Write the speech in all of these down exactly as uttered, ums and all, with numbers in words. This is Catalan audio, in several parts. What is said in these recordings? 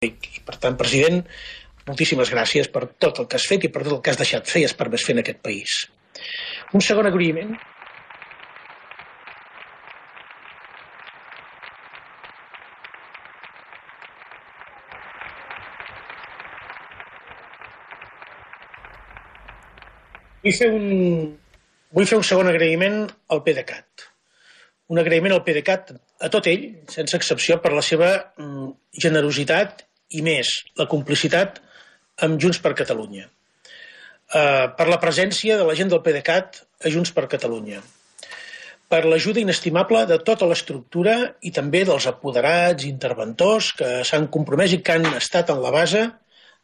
I, per tant, president, moltíssimes gràcies per tot el que has fet i per tot el que has deixat fer i has permès fer en aquest país. Un segon agraïment. Vull fer un, vull fer un segon agraïment al PDeCAT. Un agraïment al PDeCAT, a tot ell, sense excepció, per la seva mm, generositat i més, la complicitat amb Junts per Catalunya. Uh, per la presència de la gent del PDeCAT a Junts per Catalunya. Per l'ajuda inestimable de tota l'estructura i també dels apoderats, interventors que s'han compromès i que han estat en la base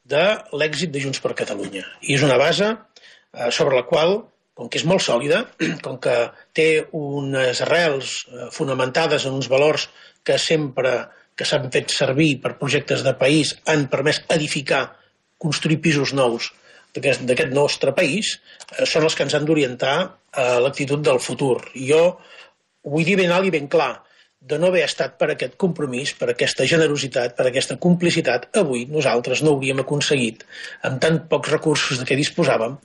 de l'èxit de Junts per Catalunya. I és una base uh, sobre la qual, com que és molt sòlida, com que té unes arrels uh, fonamentades en uns valors que sempre que s'han fet servir per projectes de país, han permès edificar, construir pisos nous d'aquest nostre país, eh, són els que ens han d'orientar a l'actitud del futur. I jo ho vull dir ben alt i ben clar, de no haver estat per aquest compromís, per aquesta generositat, per aquesta complicitat, avui nosaltres no hauríem aconseguit, amb tan pocs recursos de què disposàvem,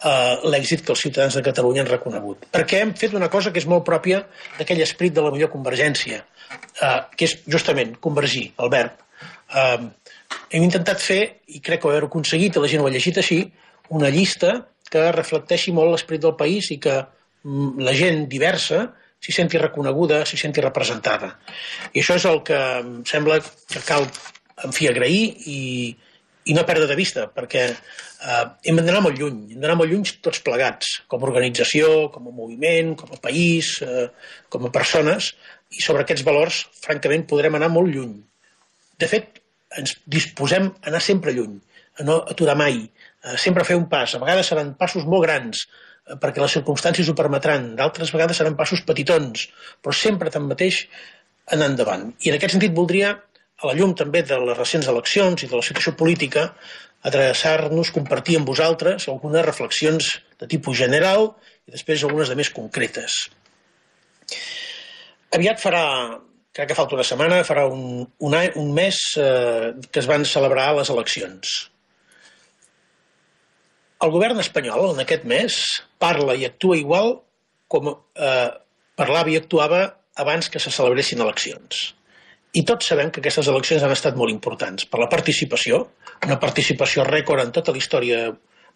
eh, l'èxit que els ciutadans de Catalunya han reconegut. Perquè hem fet una cosa que és molt pròpia d'aquell esperit de la millor convergència, eh, que és justament convergir, el verb. Eh, hem intentat fer, i crec que ho heu aconseguit, i la gent ho ha llegit així, una llista que reflecteixi molt l'esperit del país i que mm, la gent diversa s'hi senti reconeguda, s'hi senti representada. I això és el que em sembla que cal, en fi, agrair i, i no perdre de vista, perquè eh, hem d'anar molt lluny, hem d'anar molt lluny tots plegats, com a organització, com a moviment, com a país, eh, com a persones, i sobre aquests valors, francament, podrem anar molt lluny. De fet, ens disposem a anar sempre lluny, a no aturar mai, a sempre fer un pas. A vegades seran passos molt grans, eh, perquè les circumstàncies ho permetran, d'altres vegades seran passos petitons, però sempre tanmateix anar endavant. I en aquest sentit voldria, a la llum també de les recents eleccions i de la situació política, adreçar-nos, compartir amb vosaltres algunes reflexions de tipus general i després algunes de més concretes. Aviat farà, crec que falta una setmana, farà un, un, any, un mes eh, que es van celebrar les eleccions. El govern espanyol, en aquest mes, parla i actua igual com eh, parlava i actuava abans que se celebressin eleccions. I tots sabem que aquestes eleccions han estat molt importants per la participació, una participació rècord en tota la història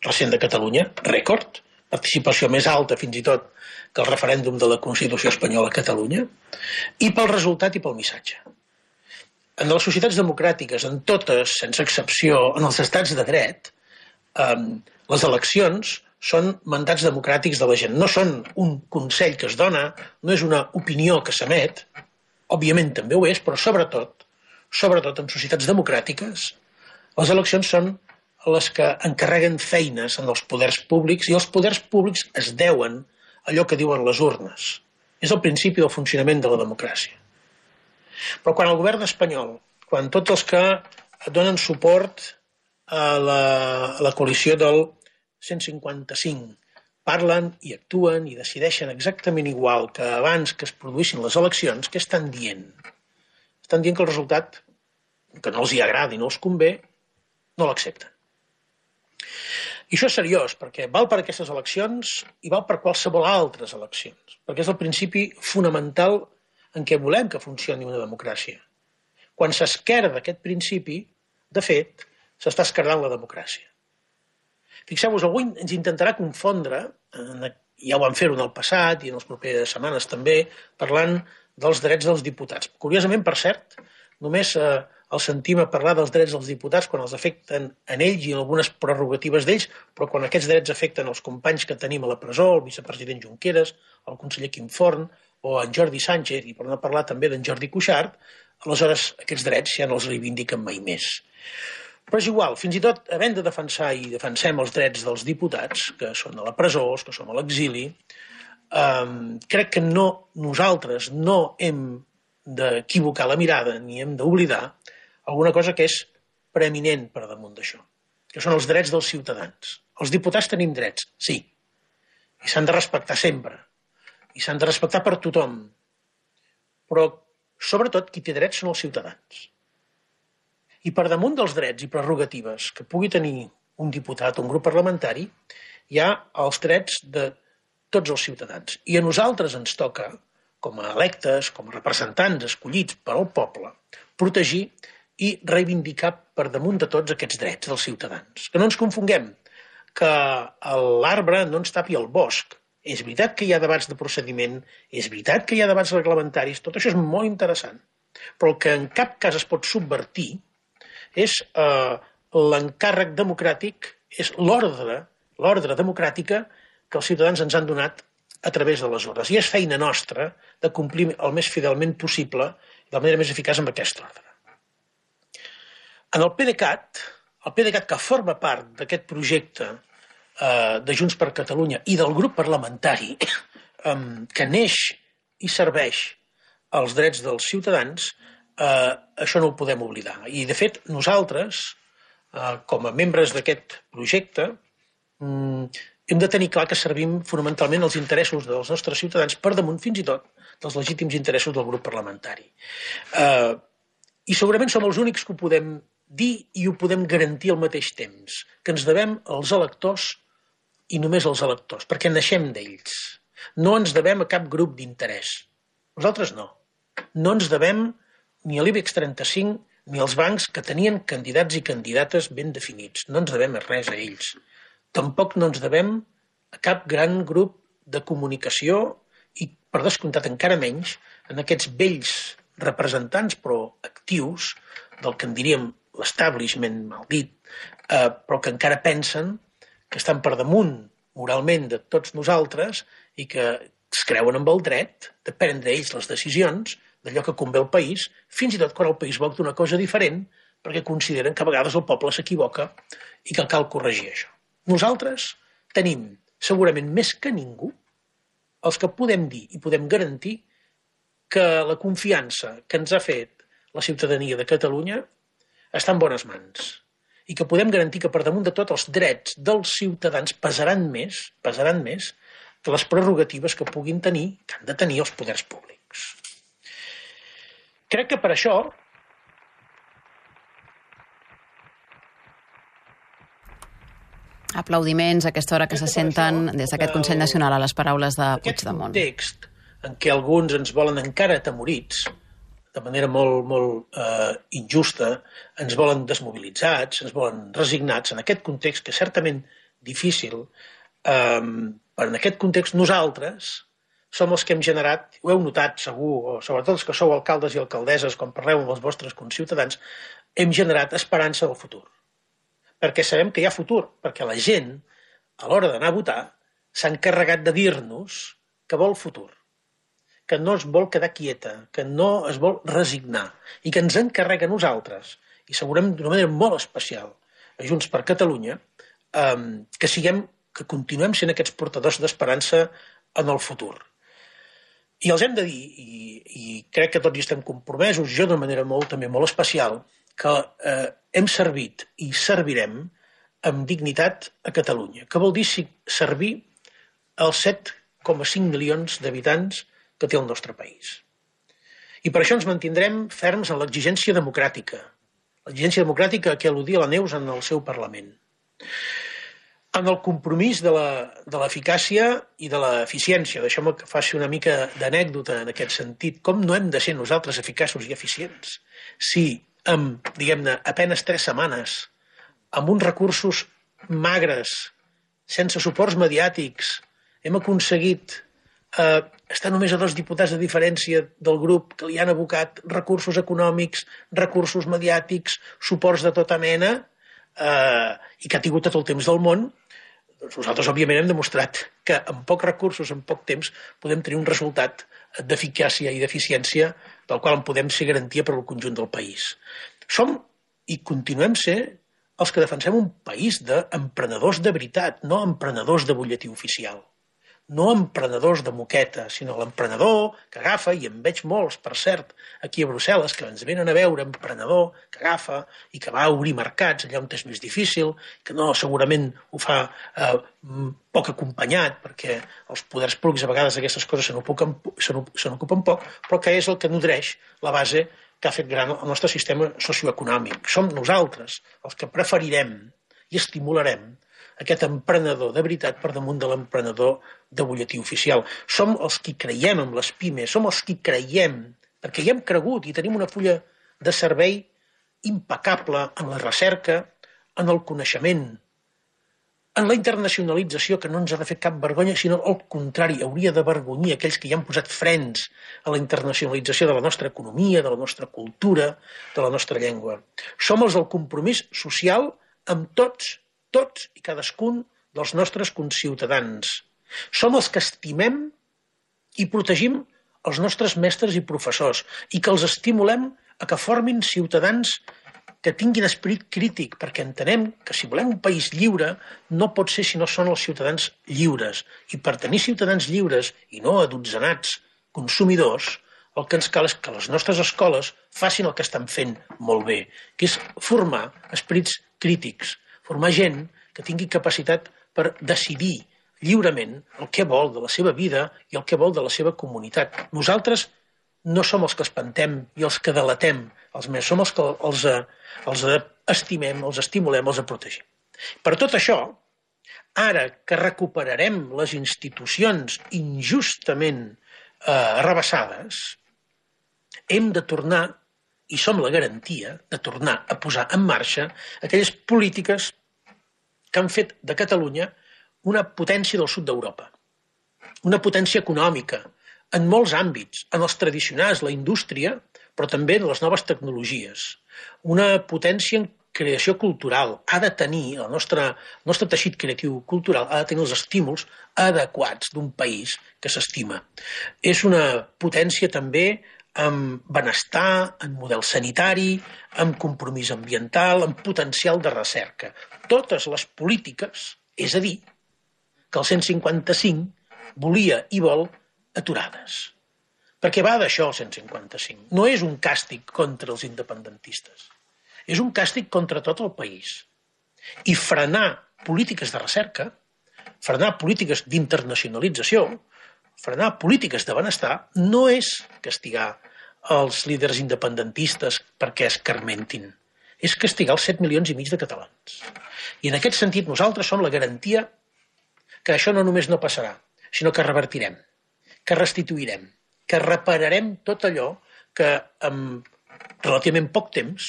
recent de Catalunya, rècord, participació més alta fins i tot que el referèndum de la Constitució espanyola a Catalunya, i pel resultat i pel missatge. En les societats democràtiques, en totes, sense excepció, en els estats de dret, eh, les eleccions són mandats democràtics de la gent. No són un consell que es dona, no és una opinió que s'emet, òbviament també ho és, però sobretot, sobretot en societats democràtiques, les eleccions són les que encarreguen feines en els poders públics i els poders públics es deuen allò que diuen les urnes. És el principi del funcionament de la democràcia. Però quan el govern espanyol, quan tots els que donen suport a la, a la coalició del cent cinquanta-cinc parlen i actuen i decideixen exactament igual que abans que es produïssin les eleccions, què estan dient? Estan dient que el resultat, que no els hi agrada i no els convé, no l'accepten. I això és seriós, perquè val per aquestes eleccions i val per qualsevol altres eleccions, perquè és el principi fonamental en què volem que funcioni una democràcia. Quan s'esquerda aquest principi, de fet, s'està esquerdant la democràcia. Fixeu-vos, algú ens intentarà confondre, ja ho van fer-ho en el passat i en les properes setmanes també, parlant dels drets dels diputats. Curiosament, per cert, només eh, el sentim a parlar dels drets dels diputats quan els afecten en ells i en algunes prerrogatives d'ells, però quan aquests drets afecten els companys que tenim a la presó, el vicepresident Junqueras, el conseller Quim Forn o en Jordi Sánchez, i per no parlar també d'en Jordi Cuixart, aleshores aquests drets ja no els reivindiquen mai més. Però és igual, fins i tot havent de defensar i defensem els drets dels diputats, que són a la presó, que som a l'exili, eh, crec que no, nosaltres no hem d'equivocar la mirada ni hem d'oblidar alguna cosa que és preeminent per damunt d'això, que són els drets dels ciutadans. Els diputats tenim drets, sí, i s'han de respectar sempre, i s'han de respectar per tothom, però sobretot qui té drets són els ciutadans. I per damunt dels drets i prerrogatives que pugui tenir un diputat o un grup parlamentari, hi ha els drets de tots els ciutadans. I a nosaltres ens toca, com a electes, com a representants escollits per al poble, protegir i reivindicar per damunt de tots aquests drets dels ciutadans. Que no ens confonguem, que l'arbre no ens tapi el bosc. És veritat que hi ha debats de procediment, és veritat que hi ha debats reglamentaris, tot això és molt interessant, però el que en cap cas es pot subvertir és eh, l'encàrrec democràtic, és l'ordre, l'ordre democràtica que els ciutadans ens han donat a través de les ordres. I és feina nostra de complir el més fidelment possible i de la manera més eficaç amb aquest ordre. En el PDeCAT, el PDeCAT que forma part d'aquest projecte eh, de Junts per Catalunya i del grup parlamentari eh, que neix i serveix als drets dels ciutadans, eh, això no ho podem oblidar. I, de fet, nosaltres, eh, com a membres d'aquest projecte, mm, hem de tenir clar que servim fonamentalment els interessos dels nostres ciutadans per damunt, fins i tot, dels legítims interessos del grup parlamentari. Eh, I segurament som els únics que ho podem dir i ho podem garantir al mateix temps, que ens devem als electors i només als electors, perquè naixem d'ells. No ens devem a cap grup d'interès. Nosaltres no. No ens devem ni a l'IBEX trenta-cinc ni als bancs que tenien candidats i candidates ben definits. No ens devem res a ells. Tampoc no ens devem a cap gran grup de comunicació i, per descomptat, encara menys en aquests vells representants, però actius, del que en diríem l'establishment, mal dit, eh, però que encara pensen que estan per damunt moralment de tots nosaltres i que es creuen amb el dret de prendre ells les decisions d'allò que convé al país, fins i tot quan el país vol una cosa diferent, perquè consideren que a vegades el poble s'equivoca i que cal corregir això. Nosaltres tenim, segurament més que ningú, els que podem dir i podem garantir que la confiança que ens ha fet la ciutadania de Catalunya està en bones mans i que podem garantir que per damunt de tot els drets dels ciutadans pesaran més, pesaran més que les prerrogatives que puguin tenir, que han de tenir els poders públics. Crec que per això aplaudiments a aquesta hora que se senten des d'aquest Consell Nacional a les paraules de Puigdemont. Aquest context en què alguns ens volen encara atemorits, de manera molt, molt eh, injusta, ens volen desmobilitzats, ens volen resignats, en aquest context que és certament difícil, eh, però en aquest context nosaltres som els que hem generat, ho heu notat segur, o sobretot els que sou alcaldes i alcaldesses, quan parleu amb els vostres conciutadans, hem generat esperança del futur. Perquè sabem que hi ha futur, perquè la gent, a l'hora d'anar a votar, s'ha encarregat de dir-nos que vol futur, que no es vol quedar quieta, que no es vol resignar i que ens encarrega a nosaltres, i segurament d'una manera molt especial a Junts per Catalunya, eh, que siguem, que continuem sent aquests portadors d'esperança en el futur. I els hem de dir, i, i crec que tots hi estem compromesos, jo d'una manera molt, també molt especial, que eh, hem servit i servirem amb dignitat a Catalunya, que vol dir servir als set coma cinc milions d'habitants que té el nostre país. I per això ens mantindrem ferms en l'exigència democràtica, l'exigència democràtica a què al·ludia la Neus en el seu Parlament, en el compromís de l'eficàcia i de l'eficiència. Deixeu-me que faci una mica d'anècdota en aquest sentit. Com no hem de ser nosaltres eficaços i eficients si amb, diguem-ne, apenes tres setmanes, amb uns recursos magres, sense suports mediàtics, hem aconseguit eh, estar només a dos diputats de diferència del grup que li han abocat recursos econòmics, recursos mediàtics, suports de tota mena, eh, i que ha tingut tot el temps del món. Doncs nosaltres, òbviament, hem demostrat que amb pocs recursos, en poc temps, podem tenir un resultat d'eficàcia i d'eficiència del qual en podem ser garantia per al conjunt del país. Som i continuem ser els que defensem un país d'emprenedors de veritat, no emprenedors de butlletí oficial. No emprenedors de moqueta, sinó l'emprenedor que agafa, i en veig molts, per cert, aquí a Brussel·les, que ens venen a veure, emprenedor que agafa i que va a obrir mercats allà on és més difícil, que no, segurament ho fa eh, poc acompanyat, perquè els poders públics a vegades aquestes coses se n'ocupen poc, però que és el que nodreix la base que ha fet gran el nostre sistema socioeconòmic. Som nosaltres els que preferirem i estimularem aquest emprenedor de veritat per damunt de l'emprenedor de butlletí oficial. Som els qui creiem en les pimes, som els qui creiem, perquè hi hem cregut i tenim una fulla de servei impecable en la recerca, en el coneixement, en la internacionalització, que no ens ha de fer cap vergonya, sinó al contrari, hauria d'avergonyir aquells que hi han posat frens a la internacionalització de la nostra economia, de la nostra cultura, de la nostra llengua. Som els del compromís social amb tots, tots i cadascun dels nostres conciutadans. Som els que estimem i protegim els nostres mestres i professors i que els estimulem a que formin ciutadans que tinguin esperit crític, perquè entenem que si volem un país lliure no pot ser si no són els ciutadans lliures. I per tenir ciutadans lliures i no adotzenats consumidors, el que ens cal és que les nostres escoles facin el que estan fent molt bé, que és formar esperits crítics, formar gent que tingui capacitat per decidir lliurement el que vol de la seva vida i el que vol de la seva comunitat. Nosaltres no som els que espantem i els que delatem els més, som els que els, els estimem, els estimulem, els protegim. Per tot això, ara que recuperarem les institucions injustament eh, arrabassades, hem de tornar, i som la garantia, de tornar a posar en marxa aquelles polítiques que han fet de Catalunya una potència del sud d'Europa, una potència econòmica, en molts àmbits, en els tradicionals, la indústria, però també en les noves tecnologies. Una potència en creació cultural. Ha de tenir, el nostre, el nostre teixit creatiu cultural ha de tenir els estímuls adequats d'un país que s'estima. És una potència també amb benestar, en model sanitari, amb compromís ambiental, amb potencial de recerca. Totes les polítiques, és a dir, que el cent cinquanta-cinc volia i vol aturades. Perquè va d'això el cent cinquanta-cinc. No és un càstig contra els independentistes. És un càstig contra tot el país. I frenar polítiques de recerca, frenar polítiques d'internacionalització, frenar polítiques de benestar, no és castigar els líders independentistes perquè es carmentin. És castigar els set milions i mig de catalans. I en aquest sentit nosaltres som la garantia que això no només no passarà, sinó que revertirem, que restituirem, que repararem tot allò que en relativament poc temps,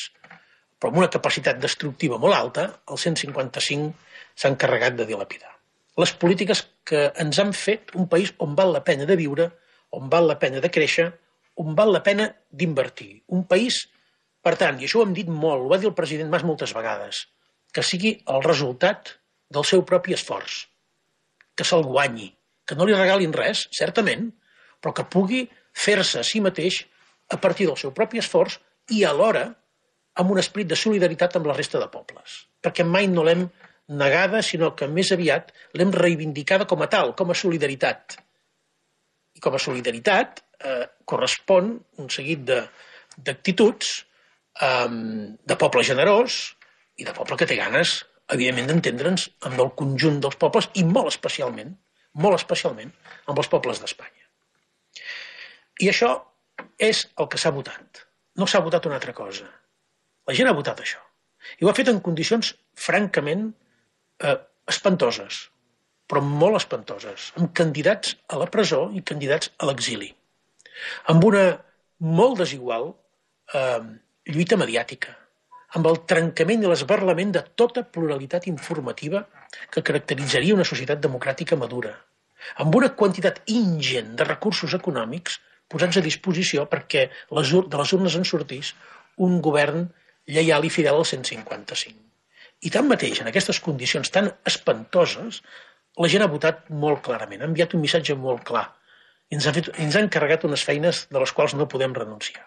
però amb una capacitat destructiva molt alta, el cent cinquanta-cinc s'ha encarregat de dilapidar. Les polítiques que ens han fet un país on val la pena de viure, on val la pena de créixer, on val la pena d'invertir. Un país, per tant, i això ho hem dit molt, ho va dir el president Mas moltes vegades, que sigui el resultat del seu propi esforç, que se'l guanyi, que no li regalin res, certament, però que pugui fer-se a si mateix a partir del seu propi esforç i alhora amb un esperit de solidaritat amb la resta de pobles. Perquè mai no l'hem negada, sinó que més aviat l'hem reivindicada com a tal, com a solidaritat. I com a solidaritat eh, correspon un seguit d'actituds eh, de poble generós i de poble que té ganes, evidentment, d'entendre'ns amb el conjunt dels pobles i molt especialment, molt especialment, amb els pobles d'Espanya. I això és el que s'ha votat. No s'ha votat una altra cosa. La gent ha votat això. I ho ha fet en condicions francament eh, espantoses, però molt espantoses, amb candidats a la presó i candidats a l'exili. Amb una molt desigual eh, lluita mediàtica, amb el trencament i l'esberlament de tota pluralitat informativa que caracteritzaria una societat democràtica madura, amb una quantitat ingent de recursos econòmics posats a disposició perquè les, de les urnes en sortís un govern lleial i fidel al cent cinquanta-cinc. I tanmateix, en aquestes condicions tan espantoses, la gent ha votat molt clarament, ha enviat un missatge molt clar i ens ha, fet, ens ha encarregat unes feines de les quals no podem renunciar.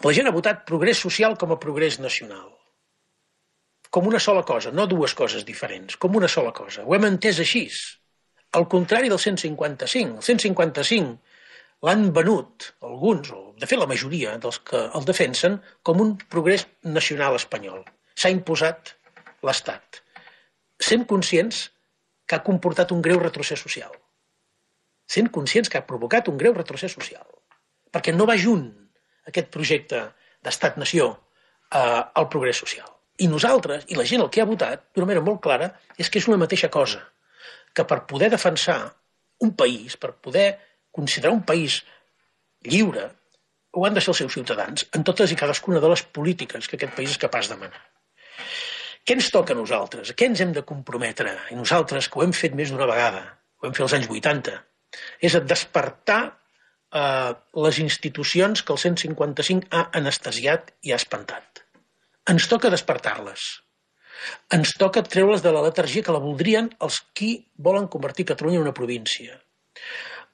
La gent ha votat progrés social com a progrés nacional, com una sola cosa, no dues coses diferents, com una sola cosa. Ho hem entès així. Al contrari del cent cinquanta-cinc. El cent cinquanta-cinc l'han venut alguns, o de fet la majoria dels que el defensen, com un progrés nacional espanyol. S'ha imposat l'Estat, sent conscients que ha comportat un greu retrocés social. Sent conscients que ha provocat un greu retrocés social. Perquè no va junt aquest projecte d'estat-nació al progrés social. I nosaltres, i la gent el que ha votat, d'una manera molt clara, és que és una mateixa cosa, que per poder defensar un país, per poder considerar un país lliure, ho han de ser els seus ciutadans, en totes i cadascuna de les polítiques que aquest país és capaç de manar. Què ens toca a nosaltres? A què ens hem de comprometre? I nosaltres, que ho hem fet més d'una vegada, ho hem fet als anys vuitanta, és a despertar eh, les institucions que el cent cinquanta-cinc ha anestesiat i ha espantat. Ens toca despertar-les. Ens toca treure's de la letargia que la voldrien els qui volen convertir Catalunya en una província.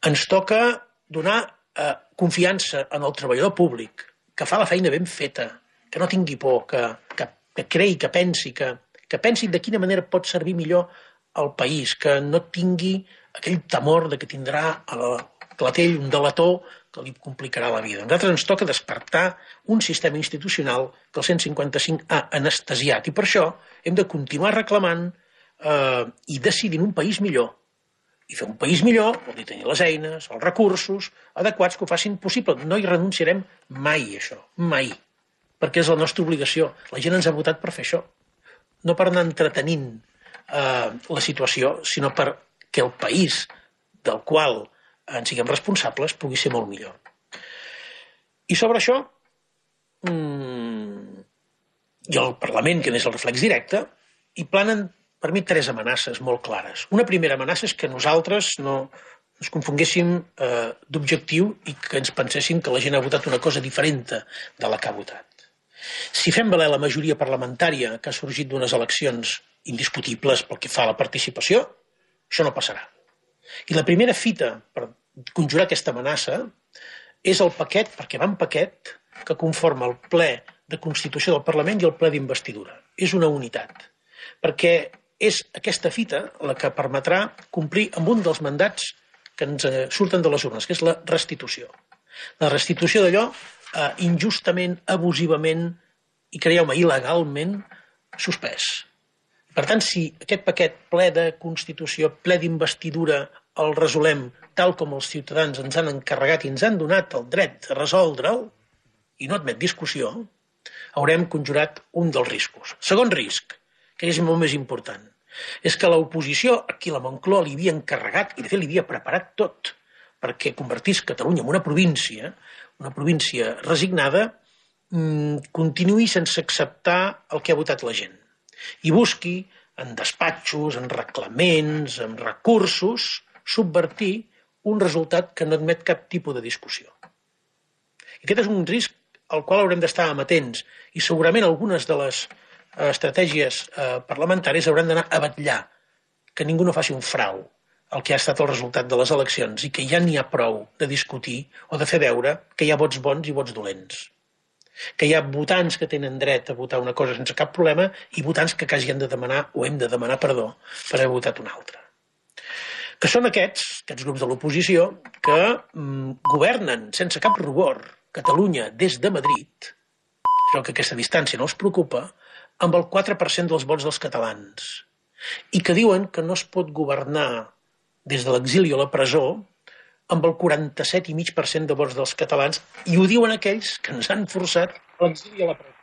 Ens toca donar eh, confiança en el treballador públic, que fa la feina ben feta, que no tingui por, que, que, que creï, que pensi, que, que pensi de quina manera pot servir millor al país, que no tingui aquell temor de que tindrà a la clatell un delator que li complicarà la vida. A nosaltres ens toca despertar un sistema institucional que el cent cinquanta-cinc ha anestesiat i per això hem de continuar reclamant eh, i decidint un país millor. I fer un país millor vol dir tenir les eines, els recursos adequats que ho facin possible. No hi renunciarem mai a això, mai, perquè és la nostra obligació. La gent ens ha votat per fer això, no per anar entretenint eh, la situació, sinó perquè el país del qual en siguem responsables pugui ser molt millor. I sobre això, mmm, i el Parlament, que n'és el reflex directe, hi planen per mi tres amenaces molt clares. Una primera amenaça és que nosaltres no ens confonguéssim eh, d'objectiu i que ens penséssim que la gent ha votat una cosa diferent de la que ha votat. Si fem valer la majoria parlamentària que ha sorgit d'unes eleccions indiscutibles pel que fa a la participació, això no passarà. I la primera fita per conjurar aquesta amenaça és el paquet, perquè va en paquet, que conforma el ple de Constitució del Parlament i el ple d'investidura. És una unitat, perquè és aquesta fita la que permetrà complir amb un dels mandats que ens surten de les urnes, que és la restitució. La restitució d'allò eh, injustament, abusivament i, creieu-me, il·legalment suspès. Per tant, si aquest paquet ple de Constitució, ple d'investidura, el resolem tal com els ciutadans ens han encarregat i ens han donat el dret a resoldre'l, i no admet discussió, haurem conjurat un dels riscos. Segon risc, que és molt més important, és que l'oposició, a qui la Moncloa li havia encarregat, i de fet li havia preparat tot, perquè convertís Catalunya en una província, una província resignada, mmm, continuï sense acceptar el que ha votat la gent. I busqui, en despatxos, en reglaments, en recursos, subvertir un resultat que no admet cap tipus de discussió. I aquest és un risc al qual haurem d'estar amatents i segurament algunes de les estratègies eh, parlamentàries hauran d'anar a vetllar que ningú no faci un frau al que ha estat el resultat de les eleccions i que ja n'hi ha prou de discutir o de fer veure que hi ha vots bons i vots dolents. Que hi ha votants que tenen dret a votar una cosa sense cap problema i votants que quasi han de demanar o hem de demanar perdó per haver votat una altra. Que són aquests, aquests grups de l'oposició, que mm, governen sense cap rubor Catalunya des de Madrid, això que aquesta distància no els preocupa, amb el quatre per cent dels vots dels catalans, i que diuen que no es pot governar des de l'exili o la presó amb el quaranta-set coma cinc per cent de vots dels catalans, i ho diuen aquells que ens han forçat a l'exili i a la presó.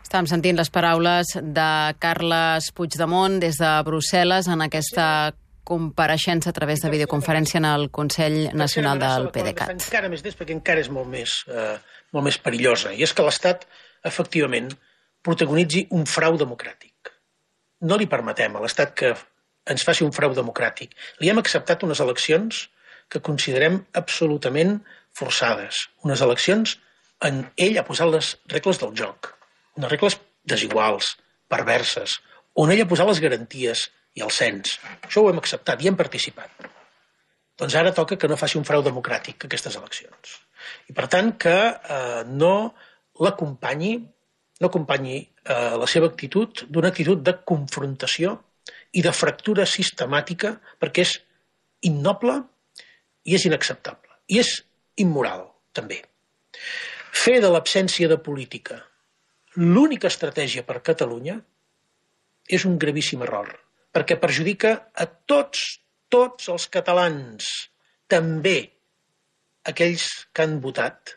Estàvem sentint les paraules de Carles Puigdemont des de Brussel·les en aquesta compareixença a través de videoconferència en el Consell Nacional del PDeCAT. Encara més d'ells, perquè encara és molt més, eh, molt més perillosa, i és que l'Estat, efectivament, protagonitzi un frau democràtic. No li permetem a l'Estat que ens faci un frau democràtic. Li hem acceptat unes eleccions que considerem absolutament forçades. Unes eleccions en ell ha posat les regles del joc. Unes regles desiguals, perverses, on ell ha posat les garanties i el cens. Això ho hem acceptat i hem participat. Doncs ara toca que no faci un frau democràtic aquestes eleccions. I per tant que eh, no l'acompanyi no acompanyi eh, la seva actitud d'una actitud de confrontació i de fractura sistemàtica, perquè és innoble i és inacceptable. I és immoral, també. Fer de l'absència de política l'única estratègia per Catalunya és un gravíssim error, perquè perjudica a tots, tots els catalans, també aquells que han votat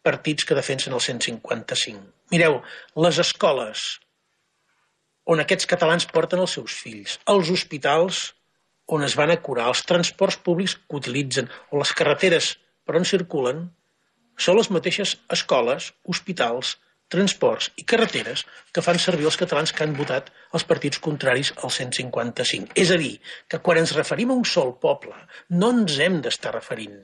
partits que defensen el cent cinquanta-cinc. Mireu, les escoles on aquests catalans porten els seus fills, els hospitals on es van a curar, els transports públics que utilitzen, o les carreteres per on circulen, són les mateixes escoles, hospitals, transports i carreteres que fan servir els catalans que han votat els partits contraris al cent cinquanta-cinc. És a dir, que quan ens referim a un sol poble, no ens hem d'estar referint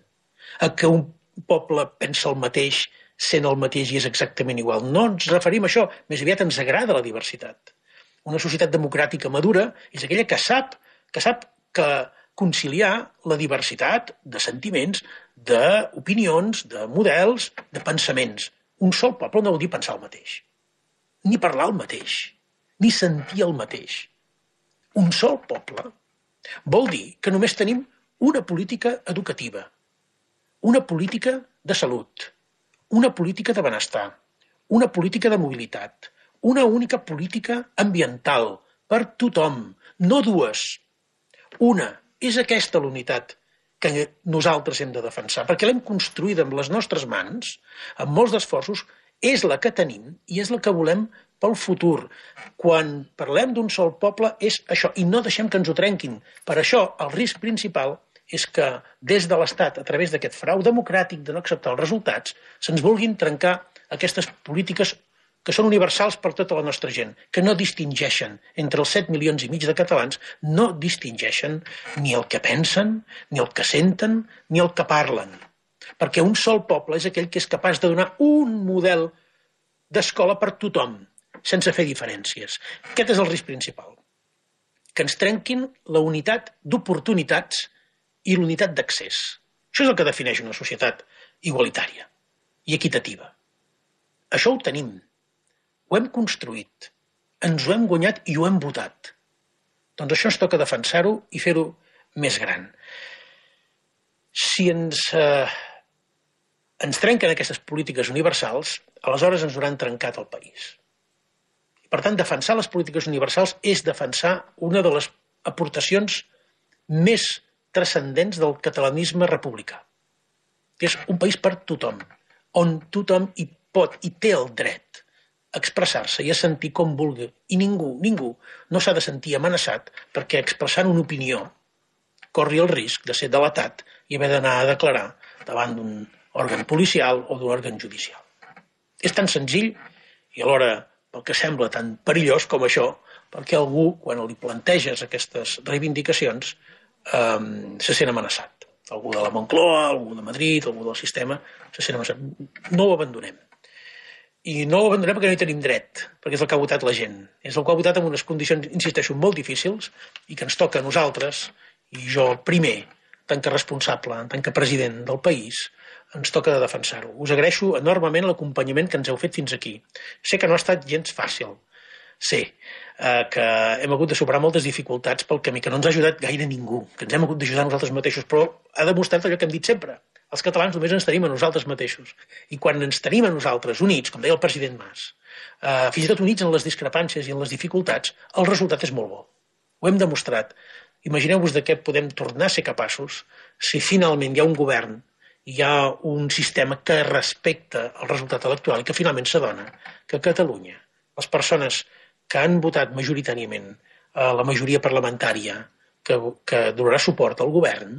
a que un poble pensa el mateix, sent el mateix i és exactament igual. No ens referim a això, més aviat ens agrada la diversitat. Una societat democràtica madura és aquella que sap que sap que conciliar la diversitat de sentiments, d'opinions, de models, de pensaments. Un sol poble no vol dir pensar el mateix, ni parlar el mateix, ni sentir el mateix. Un sol poble vol dir que només tenim una política educativa, una política de salut, una política de benestar, una política de mobilitat, una única política ambiental per tothom, no dues. Una, és aquesta l'unitat que nosaltres hem de defensar, perquè l'hem construïda amb les nostres mans, amb molts d'esforços, és la que tenim i és la que volem pel futur. Quan parlem d'un sol poble és això, i no deixem que ens ho trenquin. Per això, el risc principal és que des de l'Estat, a través d'aquest frau democràtic de no acceptar els resultats, se'ns vulguin trencar aquestes polítiques que són universals per tota la nostra gent, que no distingeixen entre els set milions i mig de catalans, no distingeixen ni el que pensen, ni el que senten, ni el que parlen. Perquè un sol poble és aquell que és capaç de donar un model d'escola per tothom, sense fer diferències. Aquest és el risc principal. Que ens trenquin la unitat d'oportunitats i l'unitat d'accés. Això és el que defineix una societat igualitària i equitativa. Això ho tenim. Ho hem construït, ens ho hem guanyat i ho hem votat. Doncs això ens toca defensar-ho i fer-ho més gran. Si ens, eh, ens trenquen aquestes polítiques universals, aleshores ens hauran trencat el país. Per tant, defensar les polítiques universals és defensar una de les aportacions més transcendents del catalanisme republicà, que és un país per tothom, on tothom hi pot i té el dret a expressar-se i a sentir com vulgui. I ningú, ningú no s'ha de sentir amenaçat perquè expressant una opinió corri el risc de ser delatat i haver d'anar a declarar davant d'un òrgan policial o d'un òrgan judicial. És tan senzill i alhora pel que sembla tan perillós com això, perquè algú, quan li planteges aquestes reivindicacions, eh, se sent amenaçat. Algú de la Moncloa, algú de Madrid, algú del sistema, se sent amenaçat. No ho abandonem. I no ho abandonem perquè no hi tenim dret, perquè és el que ha votat la gent. És el que ha votat en unes condicions, insisteixo, molt difícils i que ens toca a nosaltres, i jo primer, tant que responsable, tant que president del país, ens toca de defensar-ho. Us agraeixo enormement l'acompanyament que ens heu fet fins aquí. Sé que no ha estat gens fàcil. Sé eh, que hem hagut de superar moltes dificultats pel camí, que no ens ha ajudat gaire ningú, que ens hem hagut d'ajudar nosaltres mateixos, però ha demostrat allò que hem dit sempre. Els catalans només ens tenim a nosaltres mateixos. I quan ens tenim a nosaltres units, com deia el president Mas, eh, fins i tot units en les discrepàncies i en les dificultats, el resultat és molt bo. Ho hem demostrat. Imagineu-vos de què podem tornar a ser capaços si finalment hi ha un govern, hi ha un sistema que respecta el resultat electoral i que finalment s'adona que a Catalunya les persones que han votat majoritàriament a la majoria parlamentària que, que donarà suport al govern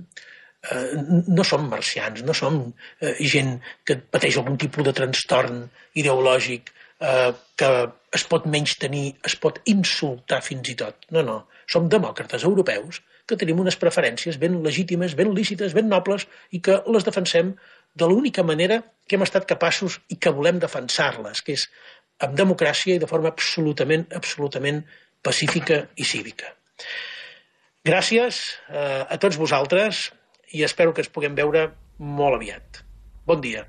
eh, no som marcians, no som eh, gent que pateix algun tipus de trastorn ideològic eh, que es pot menystenir, es pot insultar fins i tot. No, no. Som demòcrates europeus que tenim unes preferències ben legítimes, ben lícites, ben nobles i que les defensem de l'única manera que hem estat capaços i que volem defensar-les, que és amb democràcia i de forma absolutament, absolutament pacífica i cívica. Gràcies eh, a tots vosaltres i espero que ens puguem veure molt aviat. Bon dia.